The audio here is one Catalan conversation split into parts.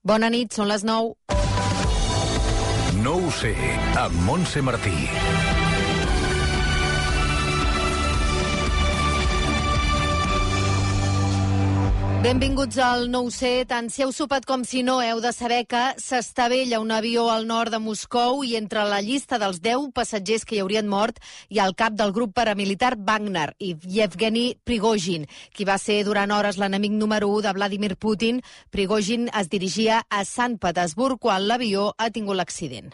Bona nit, són les 9. No ho sé, amb Montse Martí. Benvinguts al No ho sé. Tant si heu sopat com si no, heu de saber que s'estavella un avió al nord de Moscou i entre la llista dels 10 passatgers que hi haurien mort hi ha el cap del grup paramilitar Wagner i Yevgeny Prigozhin, qui va ser durant hores l'enemic número 1 de Vladimir Putin. Prigozhin es dirigia a Sant Petersburg quan l'avió ha tingut l'accident.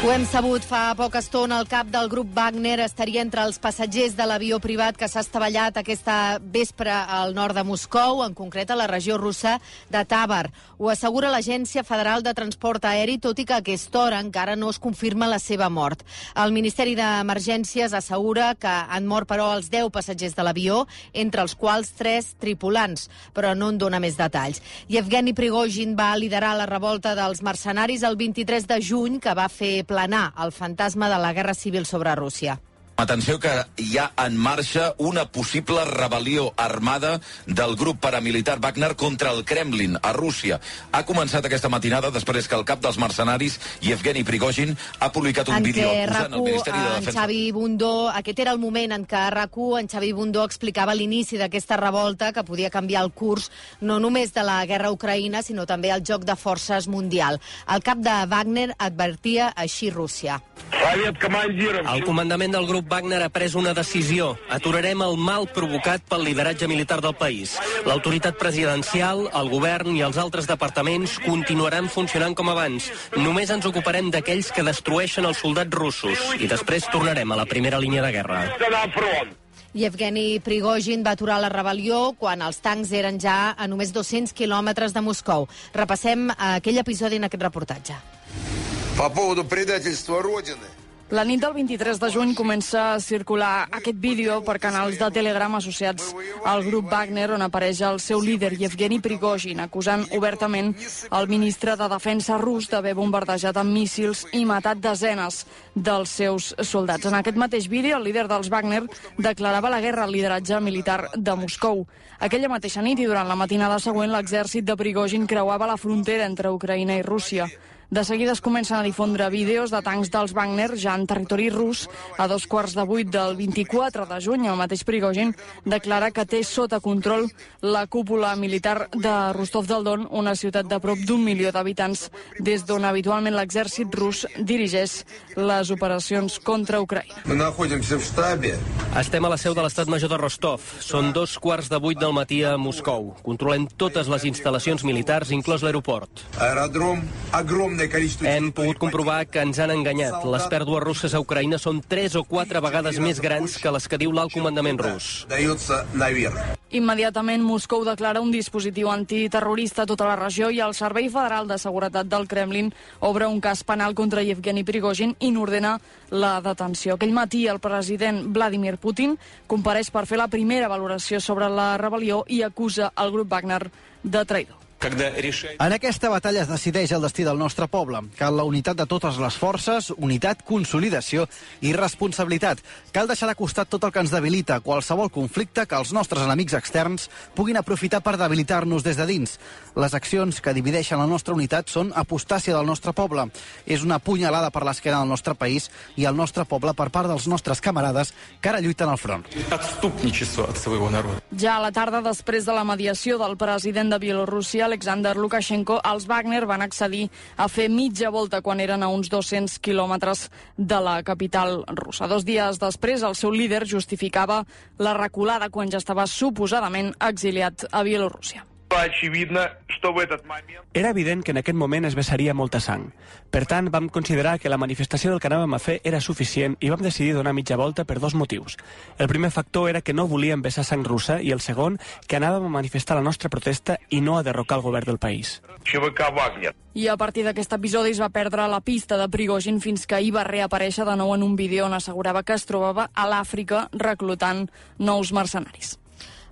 Ho hem sabut fa poca estona. El cap del grup Wagner estaria entre els passatgers de l'avió privat que s'ha estavellat aquesta vespre al nord de Moscou, en concret a la regió russa de Tabar. Ho assegura l'Agència Federal de Transport Aeri, tot i que a aquesta hora encara no es confirma la seva mort. El Ministeri d'Emergències assegura que han mort, però, els 10 passatgers de l'avió, entre els quals 3 tripulants, però no en dona més detalls. Yevgeny Prigozhin va liderar la revolta dels mercenaris el 23 de juny, que va fer planar el fantasma de la guerra civil sobre Rússia. Atenció que hi ha en marxa una possible rebel·lió armada del grup paramilitar Wagner contra el Kremlin, a Rússia. Ha començat aquesta matinada després que el cap dels mercenaris, Yevgeny Prigozhin, ha publicat un vídeo acusant el Ministeri de Defensa. Xavi Bundó, aquest era el moment en què a RAC1 en Xavi Bundó explicava l'inici d'aquesta revolta que podia canviar el curs no només de la guerra a Ucraïna, sinó també el joc de forces mundial. El cap de Wagner advertia així Rússia. El comandament del grup Wagner ha pres una decisió. Aturarem el mal provocat pel lideratge militar del país. L'autoritat presidencial, el govern i els altres departaments continuaran funcionant com abans. Només ens ocuparem d'aquells que destrueixen els soldats russos i després tornarem a la primera línia de guerra. Yevgeny Prigozhin va aturar la rebel·lió quan els tancs eren ja a només 200 quilòmetres de Moscou. Repassem aquell episodi en aquest reportatge. По поводу предательства Родины. La nit del 23 de juny comença a circular aquest vídeo per canals de Telegram associats al grup Wagner, on apareix el seu líder, Yevgeny Prigozhin, acusant obertament el ministre de Defensa rus d'haver bombardejat amb míssils i matat desenes dels seus soldats. En aquest mateix vídeo, el líder dels Wagner declarava la guerra al lideratge militar de Moscou. Aquella mateixa nit i durant la matinada següent, l'exèrcit de Prigozhin creuava la frontera entre Ucraïna i Rússia. De seguida es comencen a difondre vídeos de tancs dels Wagner ja en territori rus. A 7:15 del 24 de juny, el mateix Prigozhin declara que té sota control la cúpula militar de Rostov del Don, una ciutat de prop d'1 milió d'habitants, des d'on habitualment l'exèrcit rus dirigeix les operacions contra Ucraïna. Estem a la seu de l'Estat Major de Rostov. Són 7:15 del matí a Moscou. Controlem totes les instal·lacions militars, inclòs l'aeroport. Hem pogut comprovar que ens han enganyat. Les pèrdues russes a Ucraïna són 3 o 4 vegades més grans que les que diu l'alt comandament rus. Immediatament, Moscou declara un dispositiu antiterrorista a tota la regió i el Servei Federal de Seguretat del Kremlin obre un cas penal contra Yevgeny Prigozhin i n'ordena la detenció. Aquell matí, el president Vladimir Putin compareix per fer la primera valoració sobre la rebel·lió i acusa el grup Wagner de traïdor. En aquesta batalla es decideix el destí del nostre poble. Cal la unitat de totes les forces, unitat, consolidació i responsabilitat. Cal deixar de costat tot el que ens debilita, qualsevol conflicte que els nostres enemics externs puguin aprofitar per debilitar-nos des de dins. Les accions que divideixen la nostra unitat són apostàcia del nostre poble. És una punyalada per l'esquena del nostre país i el nostre poble per part dels nostres camarades que ara lluiten al front. Ja a la tarda, després de la mediació del president de Bielorússia, Alexander Lukashenko, els Wagner van accedir a fer mitja volta quan eren a uns 200 quilòmetres de la capital russa. 2 dies després, el seu líder justificava la reculada quan ja estava suposadament exiliat a Bielorússia. Era evident que en aquest moment es vessaria molta sang. Per tant, vam considerar que la manifestació del que anàvem a fer era suficient i vam decidir donar mitja volta per 2 motius. El primer factor era que no volíem vessar sang russa i el segon, que anàvem a manifestar la nostra protesta i no a derrocar el govern del país. I a partir d'aquest episodi es va perdre la pista de Prigozhin fins que ahir va reaparèixer de nou en un vídeo on assegurava que es trobava a l'Àfrica reclutant nous mercenaris.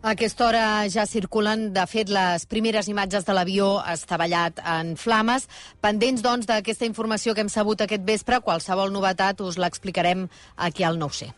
A aquesta hora ja circulen, de fet, les primeres imatges de l'avió estavellat en flames. Pendents, doncs, d'aquesta informació que hem sabut aquest vespre, qualsevol novetat us l'explicarem aquí al 9C.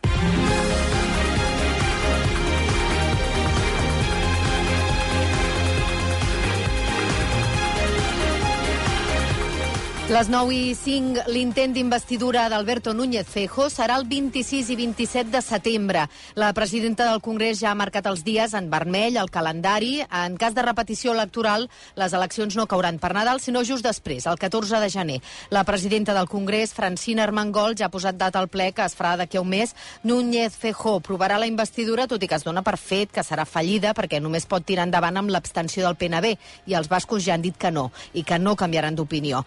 Les 9:05, l'intent d'investidura d'Alberto Núñez Feijóo serà el 26 i 27 de setembre. La presidenta del Congrés ja ha marcat els dies en vermell, el calendari. En cas de repetició electoral, les eleccions no cauran per Nadal, sinó just després, el 14 de gener. La presidenta del Congrés, Francina Armengol, ja ha posat data al ple que es farà d'aquí a un mes. Núñez Feijóo provarà la investidura, tot i que es dona per fet que serà fallida perquè només pot tirar endavant amb l'abstenció del PNB, i els bascos ja han dit que no, i que no canviaran d'opinió.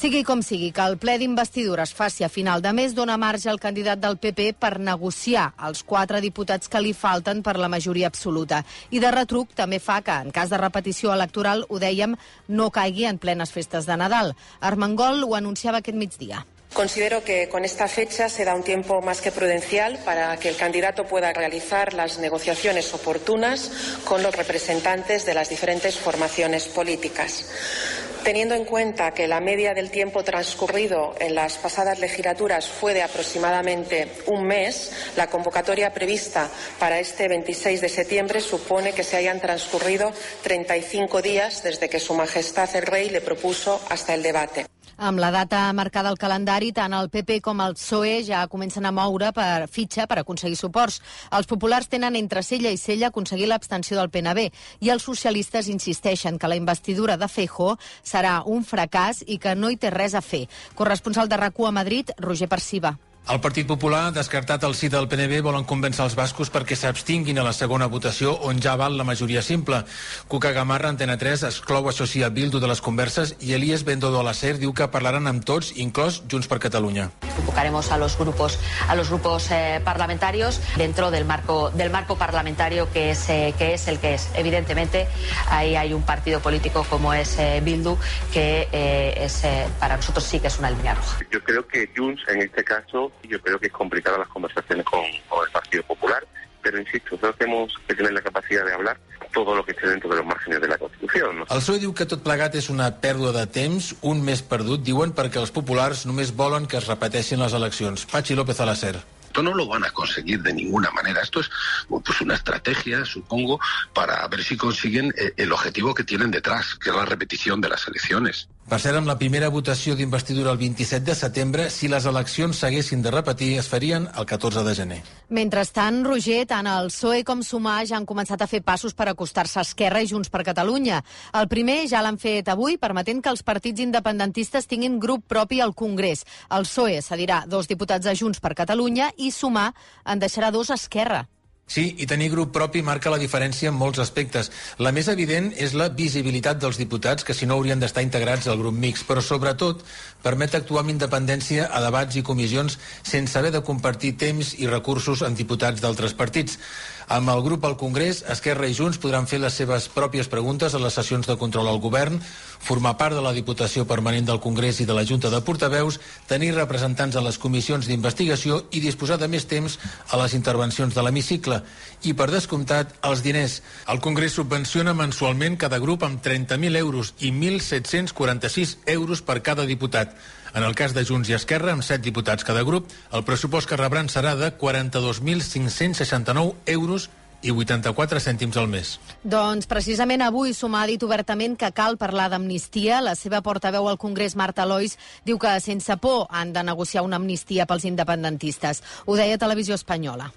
Sigui com sigui, que el ple d'investidura es faci a final de mes dona marge al candidat del PP per negociar els 4 diputats que li falten per la majoria absoluta. I de retruc també fa que, en cas de repetició electoral, ho dèiem, no caigui en plenes festes de Nadal. Armengol ho anunciava aquest migdia. Considero que con esta fecha se da un tiempo más que prudencial para que el candidato pueda realizar las negociaciones oportunas con los representantes de las diferentes formaciones políticas. Teniendo en cuenta que la media del tiempo transcurrido en las pasadas legislaturas fue de aproximadamente un mes, la convocatoria prevista para este 26 de septiembre supone que se hayan transcurrido 35 días desde que Su Majestad el Rey le propuso hasta el debate. Amb la data marcada al calendari, tant el PP com el PSOE ja comencen a moure per fitxa per aconseguir suports. Els populars tenen entre cella i cella aconseguir l'abstenció del PNB i els socialistes insisteixen que la investidura de Feijóo serà un fracàs i que no hi té res a fer. Corresponsal de RAC1 a Madrid, Roger Perciba. El Partit Popular, descartat el sí del PNB, volen convèncer els bascos perquè s'abstinguin a la segona votació on ja val la majoria simple. Cuca Gamarra, Antena 3, exclou això sí a Bildu de les converses i Elías Bendodo a la SER diu que parlaran amb tots, inclòs Junts per Catalunya. Convocaremos a los grupos parlamentarios dentro del marco parlamentario que es el que es. Evidentemente, ahí hay un partido político como es Bildu que para nosotros sí que es una línea roja. Yo creo que Junts, en este caso, yo creo que es complicada las conversaciones con el Partido Popular, pero insisto, nosotros tenemos que tener la capacidad de hablar todo lo que esté dentro de los márgenes de la Constitución, ¿no? El PSOE diu que tot plegat és una pèrdua de temps, un mes perdut, diuen, perquè els populars només volen que es repeteixin les eleccions. Pachi López a la SER. Esto no lo van a conseguir de ninguna manera. Esto es pues una estrategia, supongo, para ver si consiguen el objetivo que tienen detrás, que es la repetición de las elecciones. Per cert, amb la primera votació d'investidura el 27 de setembre, si les eleccions s'haguessin de repetir, es farien el 14 de gener. Mentrestant, Roger, tant el PSOE com Sumar ja han començat a fer passos per acostar-se a Esquerra i Junts per Catalunya. El primer ja l'han fet avui, permetent que els partits independentistes tinguin grup propi al Congrés. El PSOE cedirà 2 diputats a Junts per Catalunya i Sumar en deixarà 2 a Esquerra. Sí, i tenir grup propi marca la diferència en molts aspectes. La més evident és la visibilitat dels diputats, que si no haurien d'estar integrats al grup mixt, però sobretot permet actuar amb independència a debats i comissions sense haver de compartir temps i recursos amb diputats d'altres partits. Amb el grup al Congrés, Esquerra i Junts podran fer les seves pròpies preguntes a les sessions de control al govern, formar part de la Diputació Permanent del Congrés i de la Junta de Portaveus, tenir representants a les comissions d'investigació i disposar de més temps a les intervencions de l'hemicicle. I, per descomptat, els diners. El Congrés subvenciona mensualment cada grup amb 30.000 euros i 1.746 euros per cada diputat. En el cas de Junts i Esquerra, amb 7 diputats cada grup, el pressupost que rebran serà de 42.569 euros i 84 cèntims al mes. Doncs precisament avui Sumar ha dit obertament que cal parlar d'amnistia. La seva portaveu al Congrés, Marta Lois, diu que sense por han de negociar una amnistia pels independentistes. Ho deia Televisió Espanyola.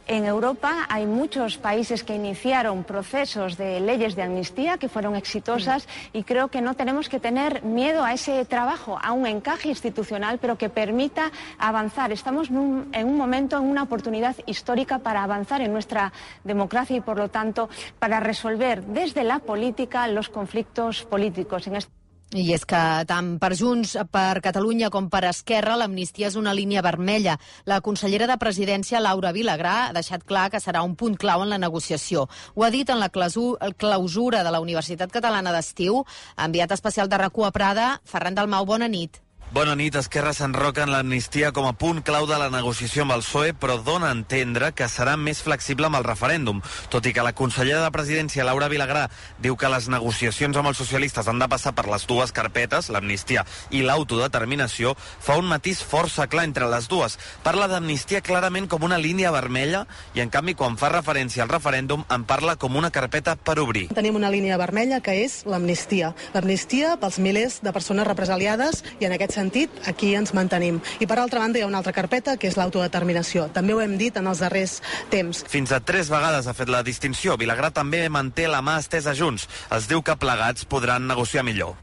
En Europa hay muchos países que iniciaron procesos de leyes de amnistía que fueron exitosas y creo que no tenemos que tener miedo a ese trabajo, a un encaje institucional, pero que permita avanzar. Estamos en un momento, en una oportunidad histórica para avanzar en nuestra democracia y, por lo tanto, para resolver desde la política los conflictos políticos. I és que tant per Junts per Catalunya com per Esquerra l'amnistia és una línia vermella. La consellera de Presidència, Laura Vilagrà, ha deixat clar que serà un punt clau en la negociació. Ho ha dit en la clausura de la Universitat Catalana d'Estiu. Enviat especial de RAC1 a Prada, Ferran Dalmau, bona nit. Bona nit. Esquerra s'enroca en l'amnistia com a punt clau de la negociació amb el PSOE, però dona a entendre que serà més flexible amb el referèndum. Tot i que la consellera de Presidència, Laura Vilagrà, diu que les negociacions amb els socialistes han de passar per les dues carpetes, l'amnistia i l'autodeterminació, fa un matís força clar entre les dues. Parla d'amnistia clarament com una línia vermella i, en canvi, quan fa referència al referèndum, en parla com una carpeta per obrir. Tenim una línia vermella que és l'amnistia. L'amnistia pels milers de persones represaliades i, en aquest sentit, aquí ens mantenim. I per altra banda hi ha una altra carpeta que és l'autodeterminació. També ho hem dit en els darrers temps. Fins a 3 vegades ha fet la distinció. Vilagrà també manté la mà estesa a Junts. Es diu que plegats podran negociar millor.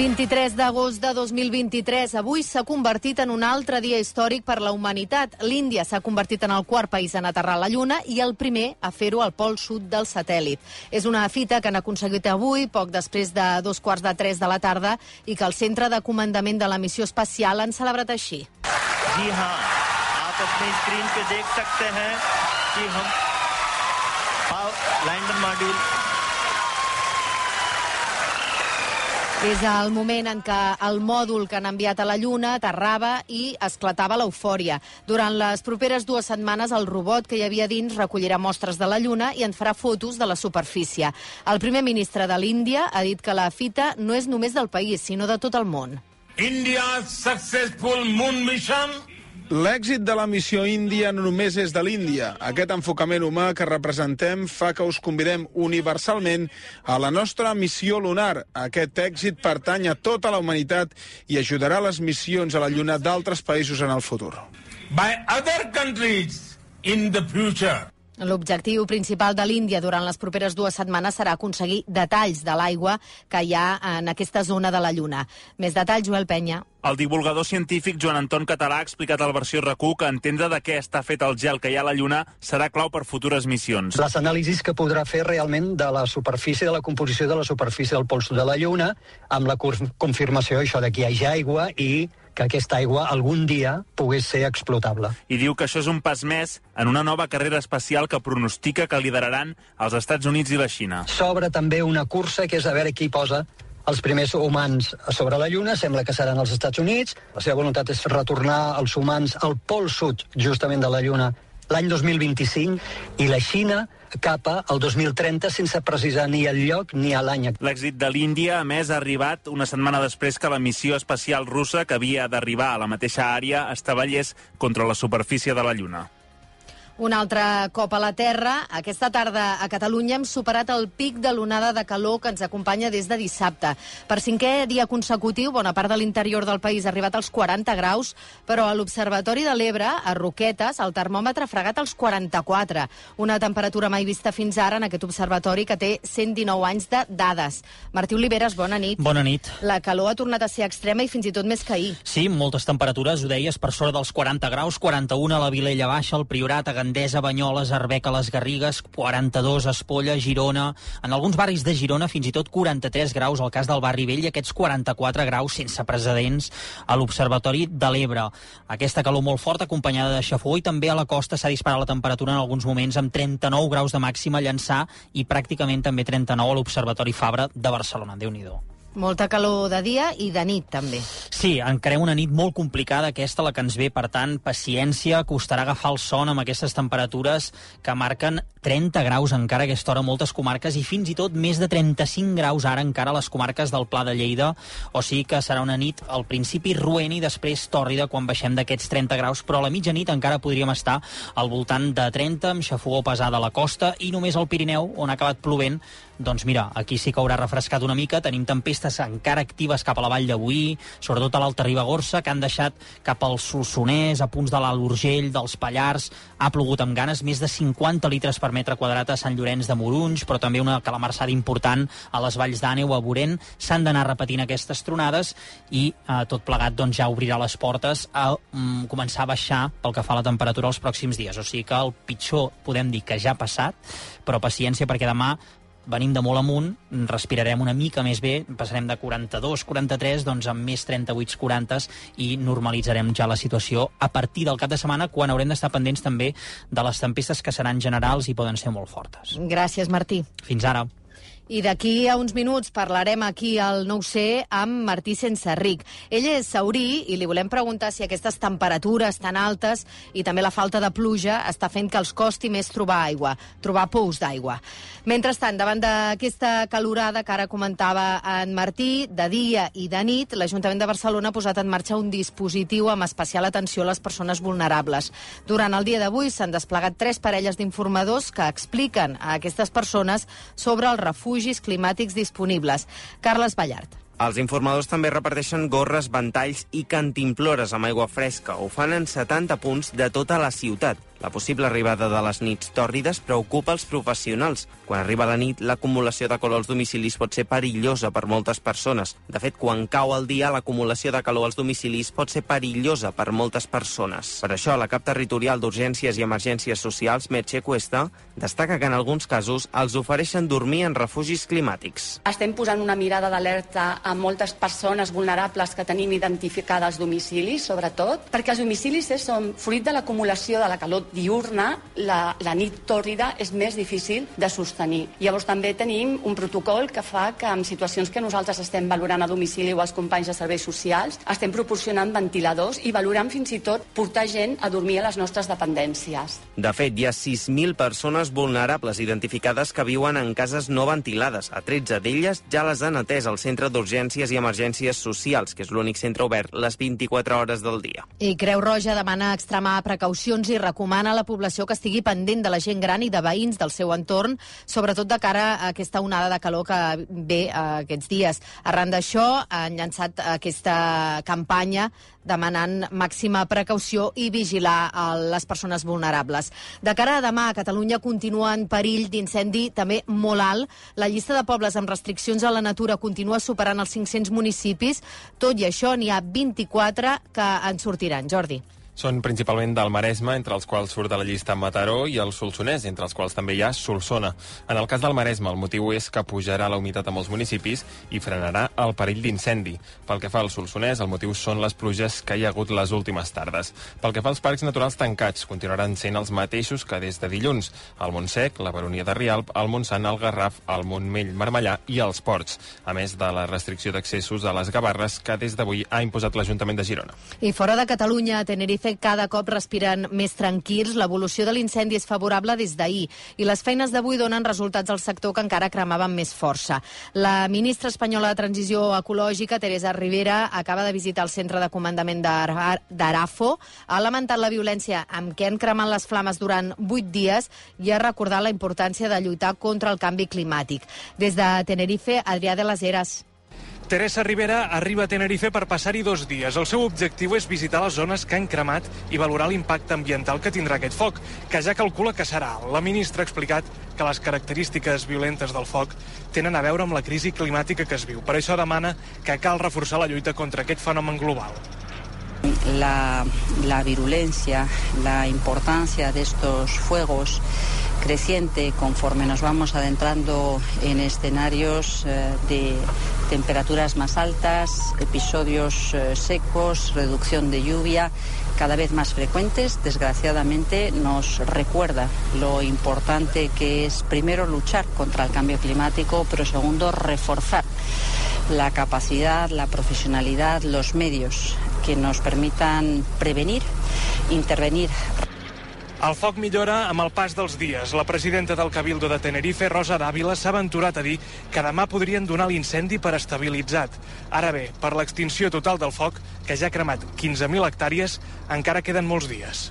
23 d'agost de 2023. Avui s'ha convertit en un altre dia històric per la humanitat. L'Índia s'ha convertit en el quart país en aterrar a la Lluna i el primer a fer-ho al pol sud del satèl·lit. És una fita que han aconseguit avui, poc després de 2:45 de la tarda, i que el Centre de Comandament de la Missió Espacial han celebrat així. जी हाँ, आप अपनी स्क्रीन पे देख सकते हैं कि हम lander module És el moment en què el mòdul que han enviat a la Lluna aterrava i esclatava l'eufòria. Durant les properes 2 setmanes, el robot que hi havia dins recollirà mostres de la Lluna i en farà fotos de la superfície. El primer ministre de l'Índia ha dit que la fita no és només del país, sinó de tot el món. India's successful moon mission. L'èxit de la missió índia no només és de l'Índia. Aquest enfocament humà que representem fa que us convidem universalment a la nostra missió lunar. Aquest èxit pertany a tota la humanitat i ajudarà a les missions a la Lluna d'altres països en el futur. By other countries in the future. L'objectiu principal de l'Índia durant les properes 2 setmanes serà aconseguir detalls de l'aigua que hi ha en aquesta zona de la Lluna. Més detalls, Joel Penya. El divulgador científic Joan Anton Català ha explicat al Versió RAC1 que entendre de què està fet el gel que hi ha a la Lluna serà clau per futures missions. Les anàlisis que podrà fer realment de la superfície, de la composició de la superfície del pol sud de la Lluna, amb la confirmació això de que hi hagi aigua i que aquesta aigua algun dia pogués ser explotable. I diu que això és un pas més en una nova carrera espacial que pronostica que lideraran els Estats Units i la Xina. S'obre també una cursa que és a veure qui posa els primers humans sobre la Lluna. Sembla que seran els Estats Units. La seva voluntat és retornar els humans al pol sud, justament de la Lluna, l'any 2025, i la Xina cap al 2030 sense precisar ni el lloc ni l'any. L'èxit de l'Índia, a més, ha arribat una setmana després que la missió espacial russa, que havia d'arribar a la mateixa àrea, estavellés contra la superfície de la Lluna. Un altre cop a la Terra. Aquesta tarda a Catalunya hem superat el pic de l'onada de calor que ens acompanya des de dissabte. Per 5è dia consecutiu, bona part de l'interior del país ha arribat als 40 graus, però a l'Observatori de l'Ebre, a Roquetes, el termòmetre ha fregat als 44. Una temperatura mai vista fins ara en aquest observatori que té 119 anys de dades. Martí Oliveres, bona nit. Bona nit. La calor ha tornat a ser extrema i fins i tot més que ahir. Sí, moltes temperatures, ho deies, per sobre dels 40 graus, 41 a la Vilella Baixa, al Priorat, a Gandesa, Banyoles, Arbeca, les Garrigues, 42 a Espolla, Girona. En alguns barris de Girona fins i tot 43 graus, al cas del Barri Vell, i aquests 44 graus sense precedents a l'Observatori de l'Ebre. Aquesta calor molt forta, acompanyada de xafogor, i també a la costa s'ha disparat la temperatura en alguns moments amb 39 graus de màxima a Llançà i pràcticament també 39 a l'Observatori Fabra de Barcelona. Déu-n'hi-do. Molta calor de dia i de nit, també. Sí, encarem una nit molt complicada, aquesta, la que ens ve. Per tant, paciència, costarà agafar el son amb aquestes temperatures que marquen 30 graus encara a aquesta hora a moltes comarques i fins i tot més de 35 graus ara encara a les comarques del Pla de Lleida. O sigui que serà una nit al principi roent i després tòrrida quan baixem d'aquests 30 graus, però a la mitjanit encara podríem estar al voltant de 30, amb xafogor pesada a la costa, i només al Pirineu, on ha acabat plovent, doncs mira, aquí sí que haurà refrescat una mica. Tenim tempestes encara actives cap a la Vall de Boí, sobretot a l'Alta Ribagorça, que han deixat cap al Solsonès, a punts de l'Alt Urgell, dels Pallars. Ha plogut amb ganes, més de 50 litres per metre quadrat a Sant Llorenç de Morunys, però també una calamarsada important a les valls d'Àneu, a Borén. S'han d'anar repetint aquestes tronades i tot plegat doncs, ja obrirà les portes a començar a baixar pel que fa a la temperatura els pròxims dies. O sigui que el pitjor podem dir que ja ha passat, però paciència perquè demà venim de molt amunt, respirarem una mica més bé, passarem de 42, 43, doncs amb més 38, 40 i normalitzarem ja la situació a partir del cap de setmana, quan haurem d'estar pendents també de les tempestes que seran generals i poden ser molt fortes. Gràcies, Martí. Fins ara. I d'aquí a uns minuts parlarem aquí al 9C amb Martí Senserric. Ell és saurí i li volem preguntar si aquestes temperatures tan altes i també la falta de pluja està fent que els costi més trobar aigua, trobar pous d'aigua. Mentrestant, davant d'aquesta calorada que ara comentava en Martí, de dia i de nit, l'Ajuntament de Barcelona ha posat en marxa un dispositiu amb especial atenció a les persones vulnerables. Durant el dia d'avui s'han desplegat 3 parelles d'informadors que expliquen a aquestes persones sobre els refugis climàtics disponibles. Carles Ballart. Els informadors també reparteixen gorres, ventalls i cantimplores amb aigua fresca. Ho fan en 70 punts de tota la ciutat. La possible arribada de les nits tòrrides preocupa els professionals. Quan arriba la nit, l'acumulació de calor als domicilis pot ser perillosa per moltes persones. De fet, quan cau el dia, l'acumulació de calor als domicilis pot ser perillosa per moltes persones. Per això, la cap territorial d'Urgències i Emergències Socials, Merche Cuesta, destaca que en alguns casos els ofereixen dormir en refugis climàtics. Estem posant una mirada d'alerta a moltes persones vulnerables que tenim identificades als domicilis, sobretot, perquè els domicilis són fruit de l'acumulació de la calor diurna, la nit tòrrida és més difícil de sostenir. Llavors també tenim un protocol que fa que en situacions que nosaltres estem valorant a domicili o als companys de serveis socials, estem proporcionant ventiladors i valorant fins i tot portar gent a dormir a les nostres dependències. De fet, hi ha 6.000 persones vulnerables identificades que viuen en cases no ventilades. A 13 d'elles ja les han atès al Centre d'Urgències i Emergències Socials, que és l'únic centre obert les 24 hores del dia. I Creu Roja demana extremar precaucions i recomana a la població que estigui pendent de la gent gran i de veïns del seu entorn, sobretot de cara a aquesta onada de calor que ve aquests dies. Arran d'això, han llançat aquesta campanya demanant màxima precaució i vigilar les persones vulnerables. De cara a demà, Catalunya continua en perill d'incendi també molt alt. La llista de pobles amb restriccions a la natura continua superant els 500 municipis. Tot i això, n'hi ha 24 que en sortiran. Jordi. Són principalment del Maresme, entre els quals surt de la llista Mataró, i el Solsonès, entre els quals també hi ha Solsona. En el cas del Maresme, el motiu és que pujarà la humitat a molts municipis i frenarà el perill d'incendi. Pel que fa al Solsonès, el motiu són les pluges que hi ha hagut les últimes tardes. Pel que fa als parcs naturals tancats, continuaran sent els mateixos que des de dilluns: el Montsec, la Baronia de Rialb, el Montsant, el Garraf, el Montmell, Marmellà i els Ports, a més de la restricció d'accessos a les Gavarres que des d'avui ha imposat l'Ajuntament de Girona. I fora de Catalunya, a Tenerife cada cop respiren més tranquils. L'evolució de l'incendi és favorable des d'ahir i les feines d'avui donen resultats al sector que encara cremava amb més força. La ministra espanyola de Transició Ecològica, Teresa Rivera, acaba de visitar el centre de comandament d'Arafo, ha lamentat la violència amb què han cremat les flames durant 8 dies i ha recordat la importància de lluitar contra el canvi climàtic. Des de Tenerife, Adrià de les Heras. Teresa Rivera arriba a Tenerife per passar-hi 2 dies. El seu objectiu és visitar les zones que han cremat i valorar l'impacte ambiental que tindrà aquest foc, que ja calcula que serà alt. La ministra ha explicat que les característiques violentes del foc tenen a veure amb la crisi climàtica que es viu. Per això demana que cal reforçar la lluita contra aquest fenomen global. La virulencia, la importancia de estos fuegos creciente conforme nos vamos adentrando en escenarios de temperaturas más altas, episodios secos, reducción de lluvia cada vez más frecuentes, desgraciadamente nos recuerda lo importante que es, primero, luchar contra el cambio climático, pero segundo, reforzar la capacidad, la profesionalidad, los medios que nos permitan prevenir, intervenir. El foc millora amb el pas dels dies. La presidenta del Cabildo de Tenerife, Rosa Dávila, s'ha aventurat a dir que demà podrien donar l'incendi per estabilitzat. Ara bé, per l'extinció total del foc, que ja ha cremat 15.000 hectàrees, encara queden molts dies.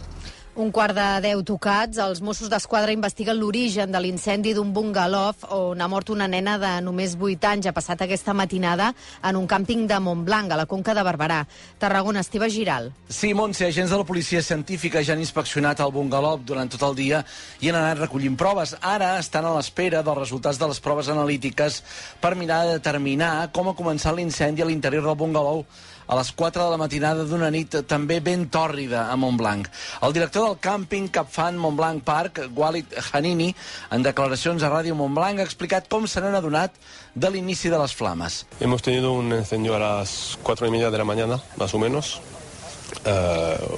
1:45 tocats, els Mossos d'Esquadra investiguen l'origen de l'incendi d'un bungalov on ha mort una nena de només 8 anys. Ha passat aquesta matinada en un càmping de Montblanc, a la Conca de Barberà. Tarragona, Esteve Giral. Sí, Montse, agents de la policia científica ja han inspeccionat el bungalov durant tot el dia i han anat recollint proves. Ara estan a l'espera dels resultats de les proves analítiques per mirar de determinar com ha començat l'incendi a l'interior del bungalov. a les 4 de la matinada d'una nit també ben tòrrida a Montblanc. El director del càmping Capfan Montblanc Park, Walid Hanini, en declaracions a Ràdio Montblanc, ha explicat com se n'han adonat de l'inici de les flames. Hemos tenido un incendio a las 4:30 de la mañana, más o menos.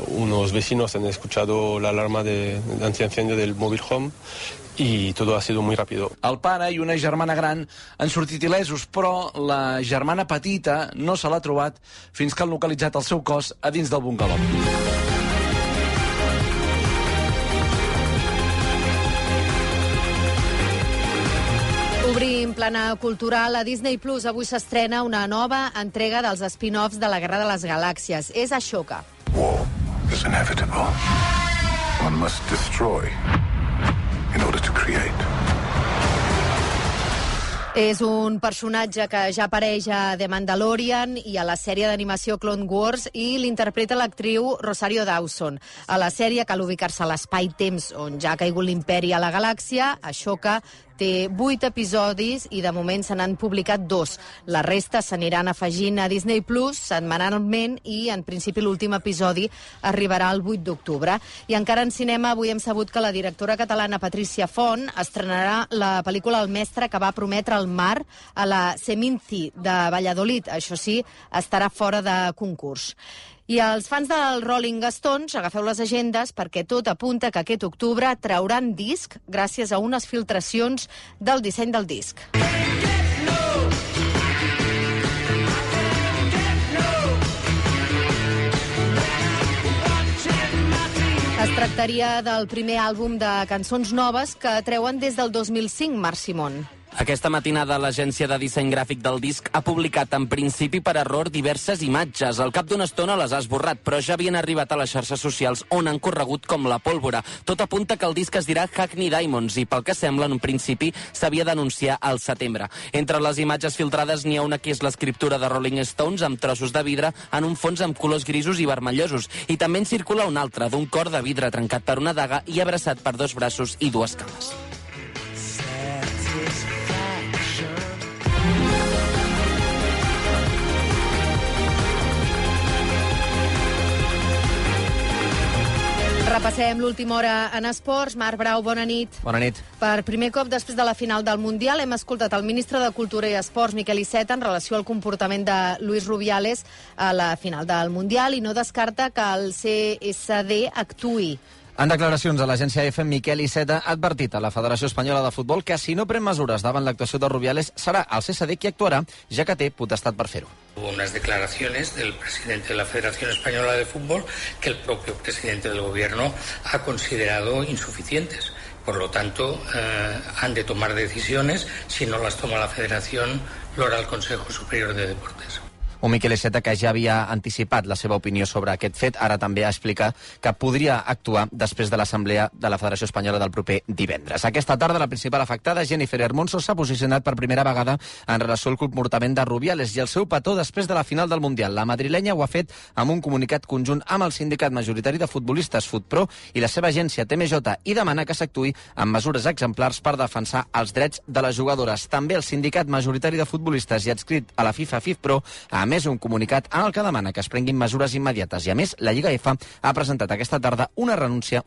Unos vecinos han escuchado la alarma de antiincendio del mobile home y todo ha sido muy rápido. El pare i una germana gran han sortit il·lesos, però la germana petita no se l'ha trobat fins que han localitzat el seu cos a dins del bungalou. Obrim plana cultural. A Disney Plus avui s'estrena una nova entrega dels spin-offs de la Guerra de les Galàxies. És Ashoka. War is inevitable. One must destroy in order to create. És un personatge que ja apareix a The Mandalorian i a la sèrie d'animació Clone Wars i l'interpreta l'actriu Rosario Dawson. A la sèrie cal ubicar-se a l'espai-temps on ja ha caigut l'imperi a la galàxia. Ashoka té 8 episodis i de moment se n'han publicat 2. La resta s'aniran afegint a Disney Plus setmanalment i en principi l'últim episodi arribarà el 8 d'octubre. I encara en cinema avui hem sabut que la directora catalana Patricia Font estrenarà la pel·lícula El mestre que va prometre el mar a la Seminci de Valladolid. Això sí, estarà fora de concurs. I els fans del Rolling Stones, agafeu les agendes perquè tot apunta que aquest octubre trauran disc gràcies a unes filtracions del disseny del disc. Es tractaria del primer àlbum de cançons noves que treuen des del 2005, Marc Simón. Aquesta matinada l'agència de disseny gràfic del disc ha publicat en principi per error diverses imatges. Al cap d'una estona les ha esborrat, però ja havien arribat a les xarxes socials on han corregut com la pólvora. Tot apunta que el disc es dirà Hackney Diamonds i pel que sembla en un principi s'havia d'anunciar al setembre. Entre les imatges filtrades n'hi ha una que és l'escriptura de Rolling Stones amb trossos de vidre en un fons amb colors grisos i vermellosos. I també en circula una altra d'un cor de vidre trencat per una daga i abraçat per 2 braços i 2 cames. Repassem l'última hora en esports. Marc Brau, bona nit. Bona nit. Per primer cop després de la final del Mundial hem escoltat el ministre de Cultura i Esports, Miquel Iceta, en relació al comportament de Luis Rubiales a la final del Mundial i no descarta que el CSD actuï. En declaracions a l'agència EFE, Miquel Iceta ha advertit a la Federació Espanyola de Futbol que si no pren mesures davant l'actuació de Rubiales serà el CSD qui actuarà, ja que té potestat per fer-ho. Hubo unas declaraciones del presidente de la Federación Española de Fútbol que el propio presidente del Gobierno ha considerado insuficientes. Por lo tanto, han de tomar decisiones. Si no las toma la Federación, lo hará el Consejo Superior de Deportes. Un Miquel Iceta que ja havia anticipat la seva opinió sobre aquest fet, ara també explica que podria actuar després de l'Assemblea de la Federació Espanyola del proper divendres. Aquesta tarda, la principal afectada, Jennifer Hermoso, s'ha posicionat per primera vegada en relació al comportament de Rubiales i el seu petó després de la final del Mundial. La madrilenya ho ha fet amb un comunicat conjunt amb el sindicat majoritari de futbolistes FutPro i la seva agència TMJ i demana que s'actuï amb mesures exemplars per defensar els drets de les jugadores. També el sindicat majoritari de futbolistes i adscrit a la FIFA FIFPro ha més un comunicat en el que demana que es prenguin mesures immediates i, a més, la Lliga EFA ha presentat aquesta tarda una denúncia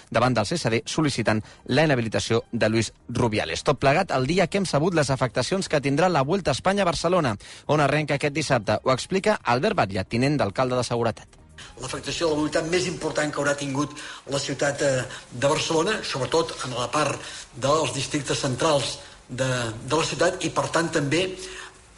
davant del CSD sol·licitant la inhabilitació de Luis Rubiales. Tot plegat el dia que hem sabut les afectacions que tindrà la Vuelta a Espanya a Barcelona, on arrenca aquest dissabte. Ho explica Albert Batlle, tinent d'alcalde de Seguretat. L'afectació de la mobilitat més important que haurà tingut la ciutat de Barcelona, sobretot en la part dels districtes centrals de la ciutat, i per tant també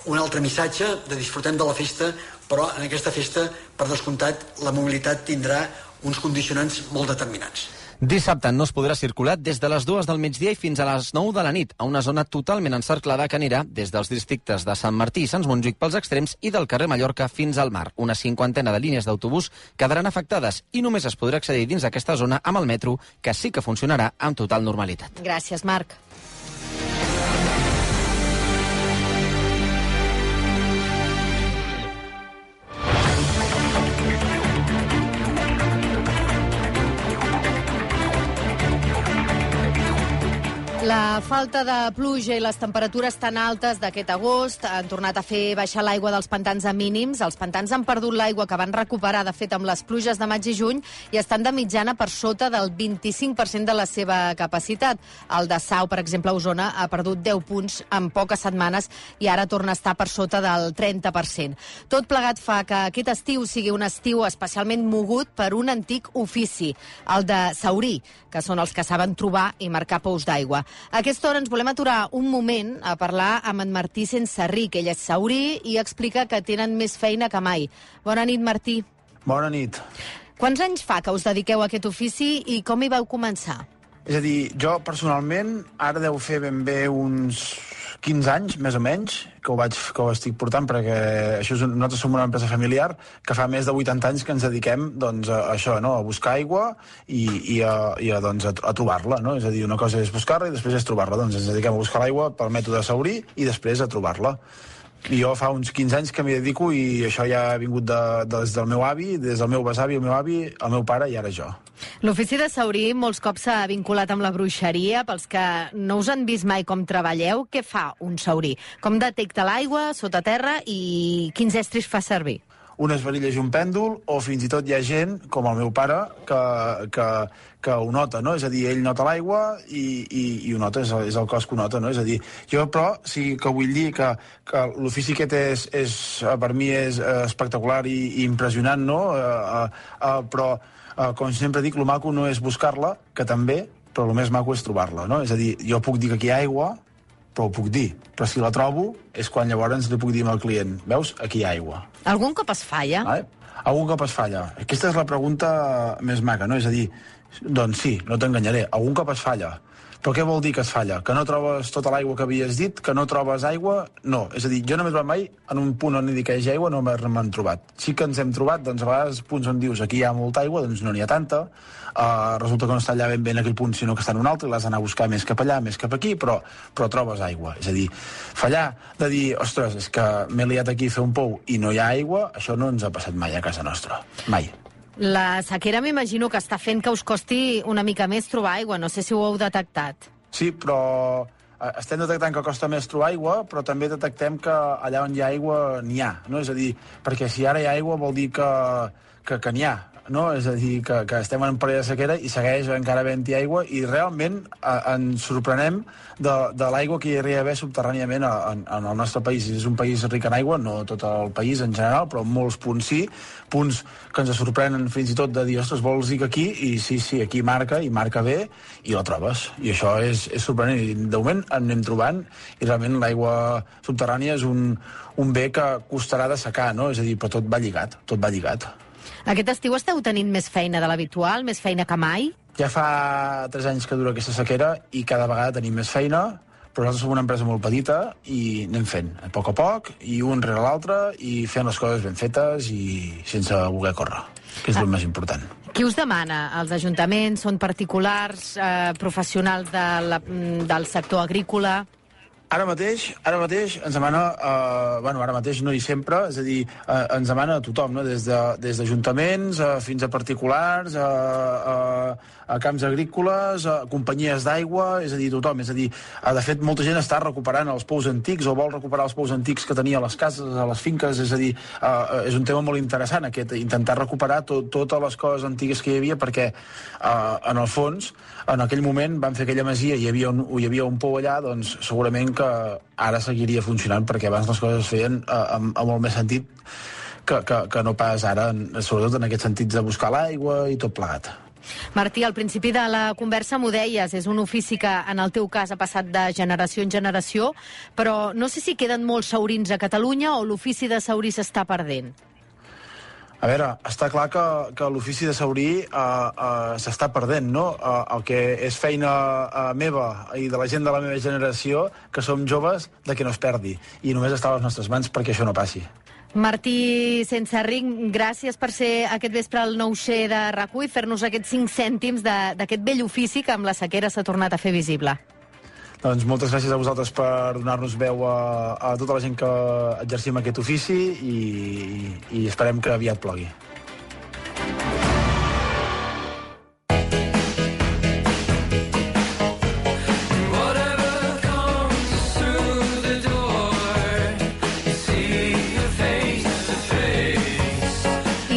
un altre missatge de disfrutem de la festa, però en aquesta festa, per descomptat, la mobilitat tindrà uns condicionants molt determinants. Dissabte no es podrà circular des de les 2 del migdia i fins a les 9 de la nit, a una zona totalment encerclada que anirà des dels districtes de Sant Martí i Sants Montjuïc pels extrems i del carrer Mallorca fins al mar. Una 50ena de línies d'autobús quedaran afectades i només es podrà accedir dins d'aquesta zona amb el metro, que sí que funcionarà amb total normalitat. Gràcies, Marc. La falta de pluja i les temperatures tan altes d'aquest agost han tornat a fer baixar l'aigua dels pantans a mínims. Els pantans han perdut l'aigua que van recuperar, de fet, amb les pluges de maig i juny, i estan de mitjana per sota del 25% de la seva capacitat. El de Sau, per exemple, a Osona, ha perdut 10 punts en poques setmanes i ara torna a estar per sota del 30%. Tot plegat fa que aquest estiu sigui un estiu especialment mogut per un antic ofici, el de saurí, que són els que saben trobar i marcar pous d'aigua. A aquesta hora ens volem aturar un moment a parlar amb en Martí Sensarric. Ell és saurí i explica que tenen més feina que mai. Bona nit, Martí. Bona nit. Quants anys fa que us dediqueu a aquest ofici i com hi vau començar? És a dir, jo personalment ara deu fer ben bé uns 15 anys, més o menys, que ho estic portant, perquè nosaltres som una empresa familiar que fa més de 80 anys que ens dediquem doncs, a això, no? A buscar aigua i a trobar-la. No? És a dir, una cosa és buscar-la i després és trobar-la. Doncs ens dediquem a buscar l'aigua pel mètode saurí i després a trobar-la. I jo fa uns 15 anys que m'hi dedico i això ja ha vingut des del meu avi, des del meu besavi, el meu avi, el meu pare i ara jo. L'ofici de saurí molts cops s'ha vinculat amb la bruixeria. Pels que no us han vist mai com treballeu, què fa un saurí? Com detecta l'aigua sota terra i quins estris fa servir? Unes varilles i un pèndol, o fins i tot hi ha gent, com el meu pare, que ho nota, no? És a dir, ell nota l'aigua i ho nota, és el cos que ho nota, no? És a dir, jo però sí que vull dir que l'ofici aquest per mi és espectacular i impressionant, no? Però, com sempre dic, el maco no és buscar-la, que també, però el més maco és trobar-la, no? És a dir, jo puc dir que aquí hi ha aigua, però ho puc dir. Però si la trobo és quan llavors li puc dir al client, veus, aquí hi ha aigua. Algun cop es falla? Algun cop es falla. Aquesta és la pregunta més maca, no? És a dir, doncs sí, no t'enganyaré, algun cop es falla. Però què vol dir que es falla? Que no trobes tota l'aigua que havies dit? Que no trobes aigua? No. És a dir, jo no m'he trobat mai en un punt on hi ha aigua, no m'han trobat. Sí que ens hem trobat, doncs a vegades punts on dius aquí hi ha molta aigua, doncs no n'hi ha tanta. Resulta que no està allà ben bé en aquell punt, sinó que està en un altre, i l'has d'anar a buscar més cap allà, més cap aquí, però trobes aigua. És a dir, fallar de dir, ostres, és que m'he liat aquí a fer un pou i no hi ha aigua, això no ens ha passat mai a casa nostra. Mai. La sequera m'imagino que està fent que us costi una mica més trobar aigua. No sé si ho heu detectat. Sí, però estem detectant que costa més trobar aigua, però també detectem que allà on hi ha aigua n'hi ha. No? És a dir, perquè si ara hi ha aigua vol dir que n'hi ha. No? És a dir, que estem en període de sequera i segueix encara havent-hi aigua i realment ens sorprenem de l'aigua que hi hauria d'haver subterràniament en el nostre país. És un país ric en aigua, no tot el país en general, però molts punts sí, punts que ens sorprenen fins i tot de dir, ostres, vols dir que aquí? I sí, aquí marca, i marca bé, i la trobes. I això és sorprenent. I de moment en anem trobant, i realment l'aigua subterrània és un bé que costarà de secar, no? És a dir, però tot va lligat, tot va lligat. Aquest estiu esteu tenint més feina de l'habitual, més feina que mai? Ja fa 3 anys que dura aquesta sequera i cada vegada tenim més feina, però nosaltres som una empresa molt petita i anem fent a poc, i un rere l'altre, i fent les coses ben fetes i sense voler córrer, que és el més important. Qui us demana? Els ajuntaments? Són particulars? Professionals del sector agrícola? Ara mateix ens demana, ara mateix no i sempre, és a dir, ens demana a tothom, no? Des d'ajuntaments fins a particulars, a camps agrícoles, a companyies d'aigua, és a dir, tothom. És a dir, de fet, molta gent està recuperant els pous antics o vol recuperar els pous antics que tenia a les cases, a les finques, és a dir, és un tema molt interessant aquest, intentar recuperar totes les coses antigues que hi havia, perquè en el fons, en aquell moment van fer aquella masia i hi havia un pou allà, doncs segurament que ara seguiria funcionant, perquè abans les coses es feien amb molt més sentit que no pas ara, sobretot en aquest sentit de buscar l'aigua i tot plegat. Martí, al principi de la conversa m'ho deies, és un ofici que en el teu cas ha passat de generació en generació, però no sé si queden molts saurins a Catalunya o l'ofici de saurí s'està perdent. A veure, està clar que l'ofici de saurí s'està perdent, no? El que és feina meva i de la gent de la meva generació, que som joves, de que no es perdi. I només està a les nostres mans perquè això no passi. Martí Sensarric, gràcies per ser aquest vespre al 9C de RAC1 i fer-nos aquests 5 cèntims d'aquest vell ofici que amb la sequera s'ha tornat a fer visible. Doncs moltes gràcies a vosaltres per donar-nos veu a tota la gent que exercim aquest ofici i esperem que aviat plogui.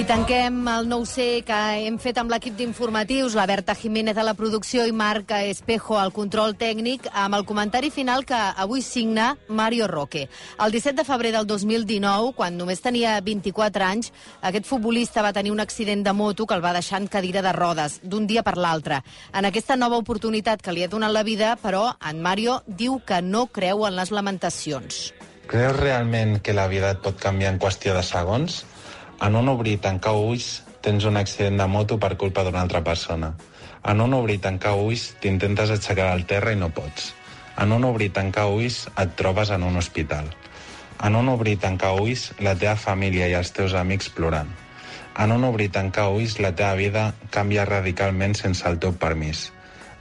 tanquem el 9C que hem fet amb l'equip d'informatius, la Berta Jiménez a la producció i Marc Espejo al control tècnic, amb el comentari final que avui signa Mario Roque. El 17 de febrer del 2019, quan només tenia 24 anys, aquest futbolista va tenir un accident de moto que el va deixar en cadira de rodes, d'un dia per l'altre. En aquesta nova oportunitat que li ha donat la vida, però, en Mario diu que no creu en les lamentacions. Creus realment que la vida et pot canviar en qüestió de segons? En un obrir i tancar ulls tens un accident de moto per culpa d'una altra persona. En un obrir i tancar ulls t'intentes aixecar al terra i no pots. En un obrir i tancar ulls et trobes en un hospital. En un obrir i tancar ulls la teva família i els teus amics plorant. En un obrir i tancar ulls la teva vida canvia radicalment sense el teu permís.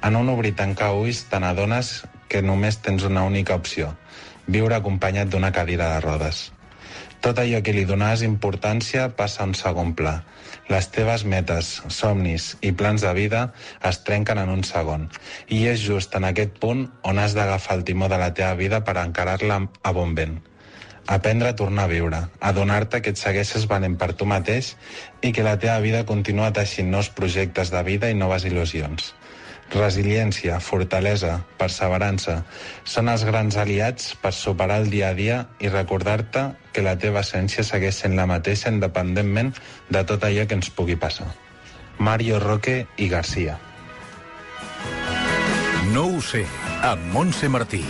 En un obrir i tancar ulls te n'adones que només tens una única opció, viure acompanyat d'una cadira de rodes. Tot allò que li donaves importància passa a un segon pla. Les teves metes, somnis i plans de vida es trenquen en un segon. I és just en aquest punt on has d'agafar el timó de la teva vida per encarar-la a bon vent. Aprendre a tornar a viure, adonar-te que et segueixes venent per tu mateix i que la teva vida continua teixint nous projectes de vida i noves il·lusions. Resiliència, fortalesa, perseverança són els grans aliats per superar el dia a dia i recordar-te que la teva essència segueix sent la mateixa independentment de tot allò que ens pugui passar. Mario Roque i Garcia. No ho sé, amb Montse Martí.